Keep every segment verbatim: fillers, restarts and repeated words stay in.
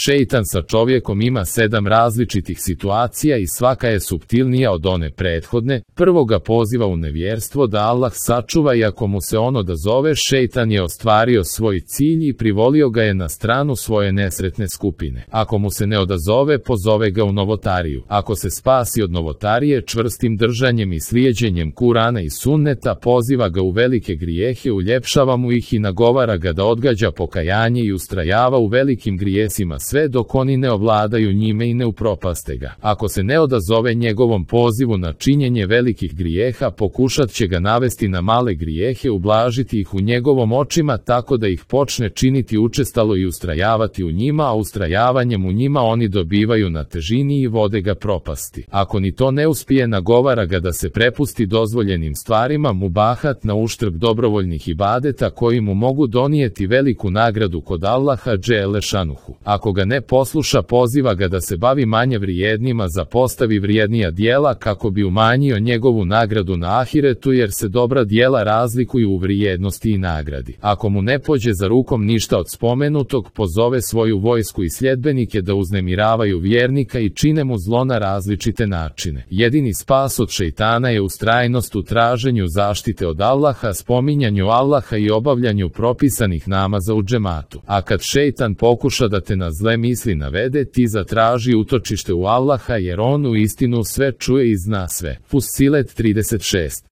Šejtan sa čovjekom ima sedam različitih situacija i svaka je suptilnija od one prethodne. Prvo ga poziva u nevjerstvo da Allah sačuva i ako mu se on odazove, šejtan je ostvario svoj cilj i privolio ga je na stranu svoje nesretne skupine. Ako mu se ne odazove, pozove ga u novotariju. Ako se spasi od novotarije čvrstim držanjem i slijeđenjem Kurana i Sunneta, poziva ga u velike grijehe, uljepšava mu ih i nagovara ga da odgađa pokajanje i ustrajava u velikim grijesima sve dok oni ne ovladaju njime i ne upropaste ga. Ako se ne odazove njegovom pozivu na činjenje velikih grijeha, pokušat će ga navesti na male grijehe, ublažiti ih u njegovom očima tako da ih počne činiti učestalo i ustrajavati u njima, a ustrajavanjem u njima oni dobivaju na težini i vode ga propasti. Ako ni to ne uspije, nagovara ga da se prepusti dozvoljenim stvarima, mubahat, na uštrb dobrovoljnih ibadeta koji mu mogu donijeti veliku nagradu kod Allaha dželle šanuhu. Ako ga ne posluša, poziva ga da se bavi manje vrijednima, zapostavi vrijednija dijela kako bi umanjio njegovu nagradu na ahiretu, jer se dobra dijela razlikuju u vrijednosti i nagradi. Ako mu ne pođe za rukom ništa od spomenutog, pozove svoju vojsku i sljedbenike da uznemiravaju vjernika i čine mu zlo na različite načine. Jedini spas od šejtana je ustrajnost u traženju zaštite od Allaha, spominjanju Allaha i obavljanju propisanih namaza u džematu. A kad šejtan pokuša da te na zle misli navede, ti zatraži utočište u Allaha, jer on u istinu sve čuje i zna sve. Fussilet trideset šest.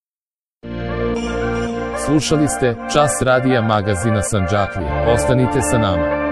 Slušali ste Čas radija magazina Sandžaklija. Ostanite sa nama.